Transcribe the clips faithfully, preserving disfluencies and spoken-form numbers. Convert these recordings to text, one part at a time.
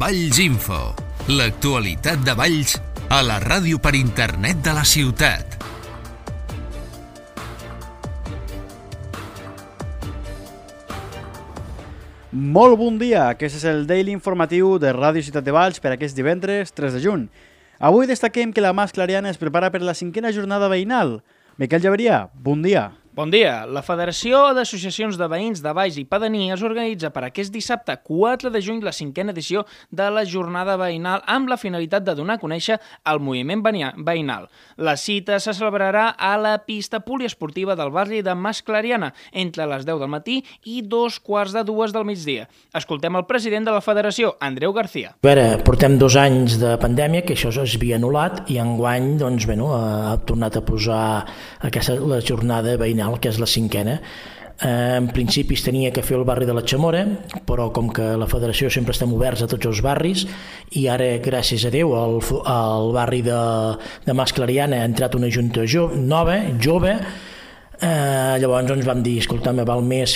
Valls Info, l'actualitat de Valls a la ràdio per internet de la ciutat. Molt bon dia, aquest és el Daily Informatiu de Ràdio Ciutat de Valls per aquest divendres tres de juny. Avui destaquem que la Mas Clariana es prepara per la cinquena jornada veïnal. Miquel Llaveria, bon dia. Bon dia. La Federació d'Associacions de Veïns de Valls i Pedanies organitza per aquest dissabte quatre de juny la cinquena edició de la jornada veïnal amb la finalitat de donar a conèixer el moviment veïnal. La cita se celebrarà a la pista poliesportiva del barri de Mas Clariana entre les deu del matí i dos quarts de dues del migdia. Escoltem el president de la Federació, Andreu García. A veure, portem dos anys de pandèmia, que això es havia anul·lat, i enguany doncs, bueno, ha tornat a posar aquesta, la jornada veïnal, que és la cinquena. Eh, en principi es tenia que fer el barri de la Chamora, però com que la federació sempre estem oberts a tots els barris, i ara, gràcies a Déu, al, al barri de, de Mas Clariana ha entrat una junta jo, nova, jove, eh, llavors ens vam dir, escolta, me val més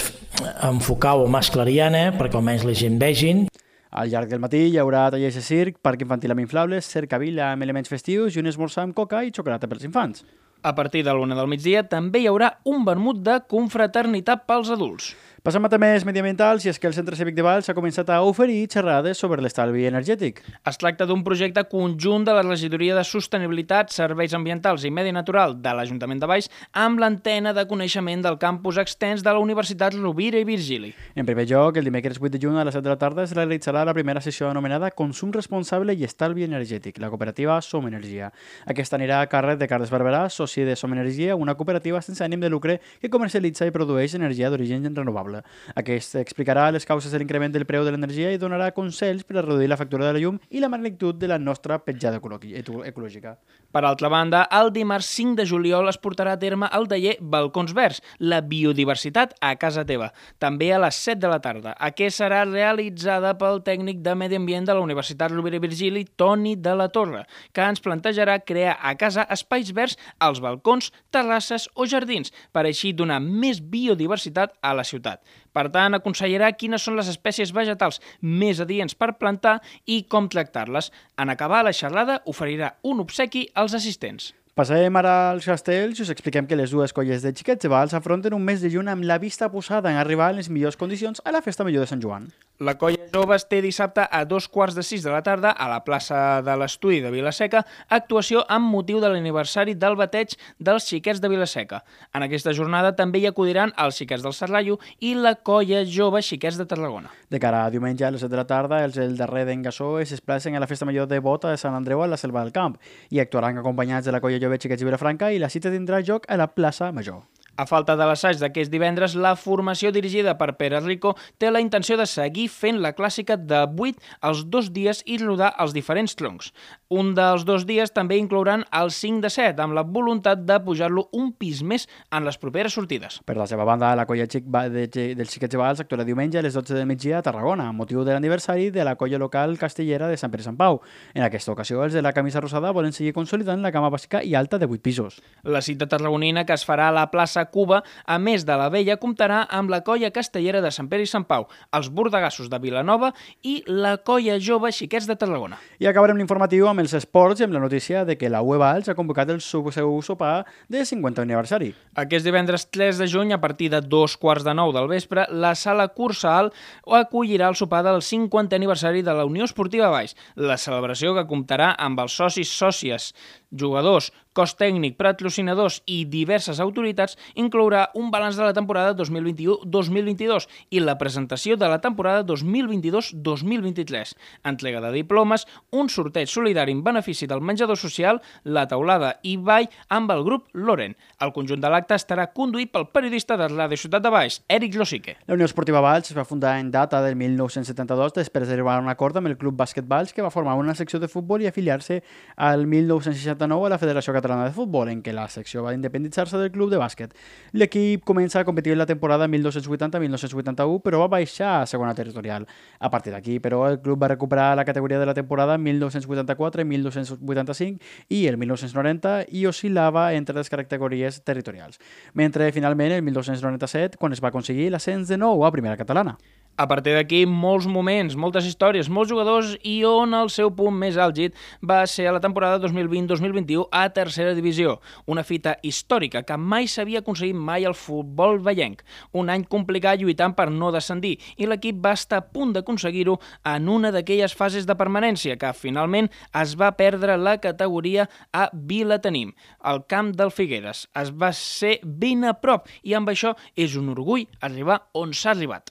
enfocar-ho a Mas Clariana perquè almenys la gent vegin. Al llarg del matí hi haurà tallers de circ, parc infantil amb inflables, cercavila amb elements festius i un esmorzar amb coca i xocolata pels infants. A partir de l'una del migdia també hi haurà un vermut de confraternitat pels adults. Passem a temes mediambientals i és que el Centre Cívic de Valls ha començat a oferir xerrades sobre l'estalvi energètic. Es tracta d'un projecte conjunt de la Regidoria de Sostenibilitat, Serveis Ambientals i Medi Natural de l'Ajuntament de Valls amb l'antena de coneixement del campus extens de la Universitat Rovira i Virgili. En primer lloc, el dimecres vuit de juny a les set de la tarda es realitzarà la primera sessió anomenada Consum Responsable i Estalvi Energètic, la cooperativa Som Energia. Aquesta anirà a càrrec de Carles Barberà, soci de Som Energia, una cooperativa sense ànim de lucre que comercialitza i produeix energia d'origen renovable. Aquest explicarà les causes de l'increment del preu de l'energia i donarà consells per a reduir la factura de la llum i la magnitud de la nostra petjada ecològica. Per altra banda, el dimarts cinc de juliol es portarà a terme el taller Balcons Verds, la biodiversitat a casa teva, també a les set de la tarda. Aquesta serà realitzada pel tècnic de Medi Ambient de la Universitat Rovira i Virgili, Toni de la Torre, que ens plantejarà crear a casa espais verds als balcons, terrasses o jardins, per així donar més biodiversitat a la ciutat. Per tant, aconsellarà quines són les espècies vegetals més adients per plantar i com tractar-les. En acabar la xerrada, oferirà un obsequi als assistents. Passem ara als castells i us expliquem que les dues colles de xiquets de Valls afronten un mes de juny amb la vista posada en arribar en les millors condicions a la Festa Major de Sant Joan. La colla Joves té dissabte a dos quarts de sis de la tarda a la plaça de l'Estudi de Vilaseca actuació amb motiu de l'aniversari del bateig dels xiquets de Vilaseca. En aquesta jornada també hi acudiran els xiquets del Serrallo i la colla Jove Xiquets de Tarragona. De cara a diumenge a les set de la tarda, els del darrer d'en Gassó es desplacen a la Festa Major de Bota de Sant Andreu a la Selva del Camp i actuaran acompanyats de la colla Jove Xiquets de Vilafranca i la cita tindrà lloc a la plaça Major. A falta de l'assaig d'aquest divendres, la formació dirigida per Pere Rico té la intenció de seguir fent la clàssica de vuit els dos dies i rodar els diferents troncs. Un dels dos dies també inclouran el cinc de set, amb la voluntat de pujar-lo un pis més en les properes sortides. Per la seva banda, la colla xic de, dels Xiquets de Valls actuarà diumenge a les dotze del migdia a Tarragona, amb motiu de l'aniversari de la colla local castellera de Sant Pere i Sant Pau. En aquesta ocasió, els de la camisa rosada volen seguir consolidant la gamma bàsica i alta de vuit pisos. La cita tarragonina, que es farà a la plaça Cuba, a més de la vella, comptarà amb la colla castellera de Sant Pere i Sant Pau, els bordegassos de Vilanova i la colla Jove Xiquets de Tarragona. I acabarem l'informatiu amb els esports i amb la notícia de que la U E Valls ha convocat el seu sopar de cinquantè aniversari. Aquest divendres tres de juny, a partir de dos quarts de nou del vespre, la sala Cursal acollirà el sopar del cinquantè aniversari de la Unió Esportiva Valls. La celebració, que comptarà amb els socis, sòcies, jugadors, cos tècnic, patrocinadors i diverses autoritats, inclourà un balanç de la temporada dos mil vint-i-u dos mil vint-i-dos i la presentació de la temporada dos mil vint-i-dos dos mil vint-i-tres, entrega de diplomes, un sorteig solidari en benefici del menjador social, la taulada i ball amb el grup Loren. El conjunt de l'acte estarà conduït pel periodista de Ràdio Ciutat de Valls, Eric Losique. La Unió Esportiva Valls es va fundar en data del mil nou-cents setanta-dos després d'arribar a un acord amb el Club Bàsquet Valls, que va formar una secció de futbol i afiliar-se al mil nou-cents seixanta-nou a la Federació Catalana de Futbol, en què la secció va independitzar-se del club de bàsquet. L'equip comença a competir en la temporada mil nou-cents vuitanta mil nou-cents vuitanta-u, però va baixar a segona territorial. A partir d'aquí, però, el club va recuperar la categoria de la temporada mil nou-cents vuitanta-quatre mil nou-cents vuitanta-cinc i el mil nou-cents noranta i oscil·lava entre les categories territorials. Mentre, finalment, el mil nou-cents noranta-set, quan es va aconseguir l'ascens de nou a Primera Catalana. A partir d'aquí, molts moments, moltes històries, molts jugadors i on el seu punt més àlgid va ser a la temporada dos mil vint dos mil vint-i-u a tercera divisió. Una fita històrica que mai s'havia aconseguit mai al futbol vellenc. Un any complicat lluitant per no descendir i l'equip va estar a punt d'aconseguir-ho en una d'aquelles fases de permanència que finalment es va perdre la categoria a Vilatenim. El camp del Figueres es va ser ben a prop i amb això és un orgull arribar on s'ha arribat.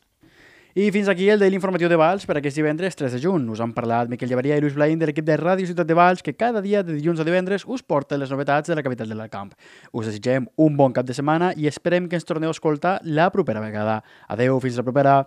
I fins aquí el Daily Informatiu de Valls per aquest divendres tres de juny. Us han parlat Miquel Llevaria i Lluís Blaín de l'equip de Ràdio Ciutat de Valls que cada dia de dilluns a divendres us porta les novetats de la capital de l'Alcamp. Us desitgem un bon cap de setmana i esperem que ens torneu a escoltar la propera vegada. Adeu, fins la propera!